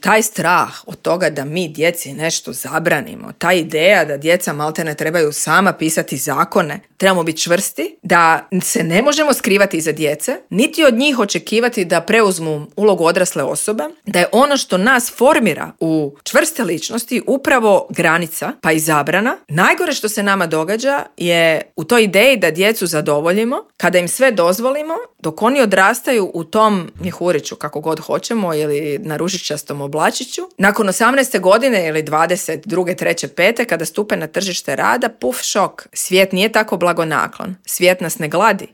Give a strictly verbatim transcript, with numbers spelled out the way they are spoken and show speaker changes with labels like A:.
A: Taj strah od toga da mi djeci nešto zabranimo, ta ideja da djeca maltene trebaju sama pisati zakone, trebamo biti čvrsti, da se ne možemo skrivati iza djece, niti od njih očekivati da preuzmu ulogu odrasle osobe, da je ono što nas formira u čvrste ličnosti upravo granica, pa i zabrana. Najgore što se nama događa je u toj ideji da djecu zadovoljimo, kada im sve dozvolimo, dok oni odrastaju u tom mjehuriću, kako god hoćemo, ili na ružičastom oblačiću. Nakon osamnaeste godine ili dvadeset druge, treće, pete, kada stupe na tržište rada, puf šok. Svijet nije tako blagonaklon. Svijet nas ne gladi.